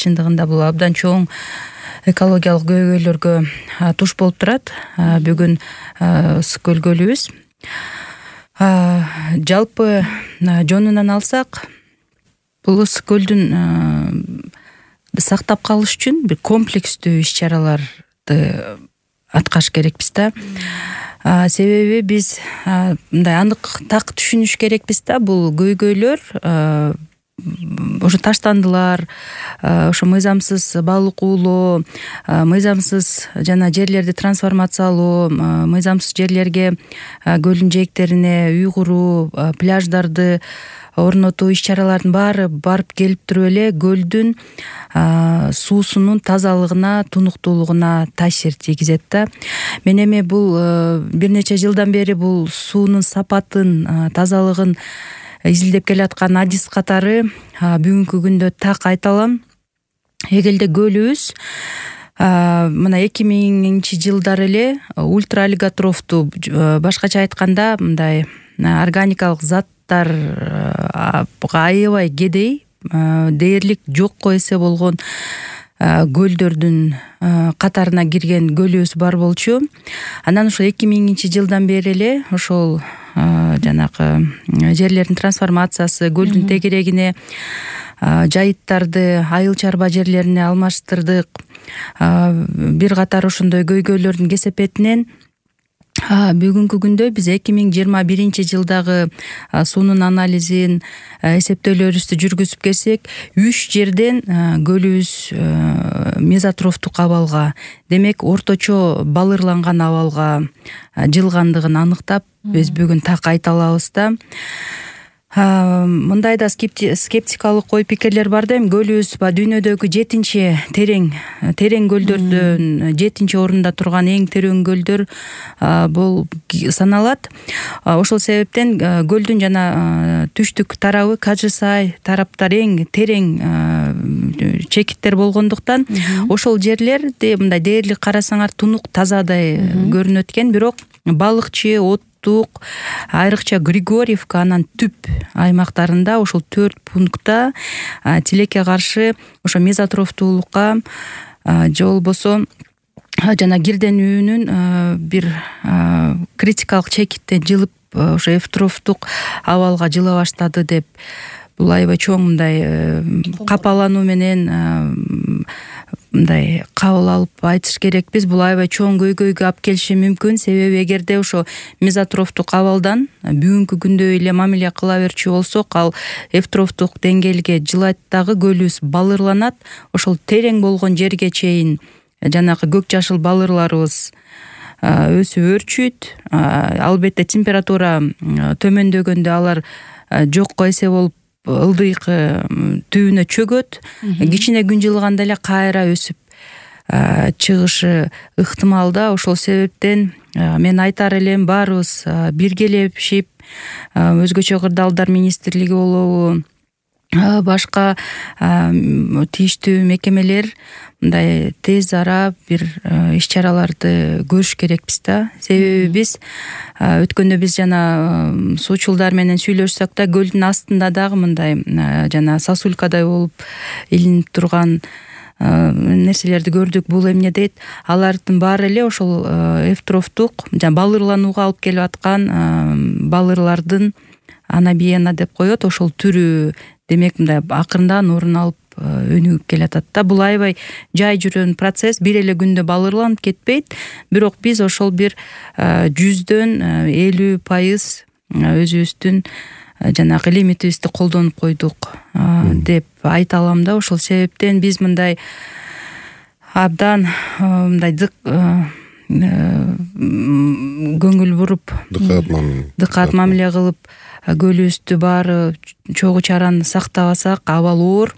чындыгында бул абдан чоң экологиялык көйгөйлөргө туш болуп турат. Бүгүн Ысык көл көлүбүз. Жалпы жонунан алсак, бул Ысык көлдүн сактап калыш үчүн бир комплекстүү иш-чараларды аткарыш керекпиз да. Себеби биз мындай анык так түшүнүш керекпиз да, бул көйгөйлөр ошо таштандылар, ошо мыйзамсыз балык уулоо, мыйзамсыз жана жерлерди трансформациялоо, мыйзамсыз жерлерге көлдүн жээктерине үй куруу, пляждарды орнотуу иш-чаралардын баары барып келип туруп эле көлдүн суусунун тазалыгына, тунуктуулугуна таасир тийгизет да. Мен эми бул бир нече жылдан бери бул суунун сапатын, тазалыгын изилдеп келаткан адис катары бүгүнкү күндө так айта алам. Эгерде көлүбүз мына 2000 жылдары эле ультраолиготрофту, башкача айтканда мындай органикалык заттарга аябай кедей, дээрлик жокко эсе болгон көлдөрдүн катарына кирген көлүбүз бар болчу. Анан ошо 2000 жылдан бери эле ошол жанагы жерлердин трансформациясы, көлдүн тегерегине жайыттарды айыл чарба жерлерине алмаштырдык. Бир катар ошондой көйгөйлөрдүн кесепетинен бүгүнкү күндө биз 2021 жылдагы суунун анализин, эсептөөлөрүбүздү жүргүзүп келсек, 3 жерден көлүбүз мезотрофтук абалга, демек орточо балырланган абалга жылгандыгын аныктап, биз бүгүн так айта алабыз да. Мындай да скептикалык ой пикирлер бар да, эми көлүбүз дүйнөдөгү 7 көлдөрдөн 7 орунда турган эң терең көлдөр бул саналат. Ошол себептен көлдүн жана түштүк тарабы, Кажысай тараптар эң терең чекиттер болгондуктан ошол жерлерди мындай дээрлик карасаңар тунук тазадай көрүнөт экен, бирок балыкчы, айрыкча Григорьевка, анан түп аймактарында ошол 4 пунктта тилекке каршы ошо мезотрофтуулукка же болбосо жана кирденүүнүн бир критикалык чекиттен жылып ошо эвтрофтук абалга жыла баштады деп, бул аябай чоң мындай капалануу менен мындай кабыл алып айтыш керекпиз. Бул аябай чоң көйгөйгө алып келиши мүмкүн. Себеби эгерде ошо мезотрофтук абалдан бүгүнкү күндө эле мамиле кыла берчү болсок, ал эвтрофтук деңгээлге жылайт дагы, көлүбүз балырланат. Ошол терең болгон жерге чейин жанагы көк жашыл балырларыбыз өсүп өрчүйт. Албетте температура төмөндөгөндө алар жокко эсе болуп ылдыйкы түбүнө чөгөт. Кичине күн жылганда эле кайра өсүп чыгышы ыктымал да. Ошол себептен мен айтар элем, баарыбыз биргелешип, өзгөчө кырдаалдар министрлиги болобу, башка тийиштүү мекемелер мындай тез ара бир иш-чараларды көрүш керекпиз да. Себеби биз өткөндө биз жана суучулдар менен сүйлөшсөк да, көлдүн астында дагы мындай жана сосулькадай болуп илинип турган нерселерди көрдүк. Бул эмне дейт? Алардын баары эле ошол эвтрофтук жана балырланууга алып келип аткан балырлардын анабиена деп коет, ошол түрү, демек мындай акырындан орун алып өнүгүп келатат да. Бул аябай жай жүрөн процесс, бир эле күндө балырланып кетпейт, бирок биз ошол бир 100дөн 50% өзүбүздүн жанагы лимитибизди колдонуп койдук деп айта алам да. Ошол себептен биз мындай абдан мындай көңүл буруп, дыкаат мамиле кылып, көлүбүздү баары чогуу чараны сактабасак абал оор.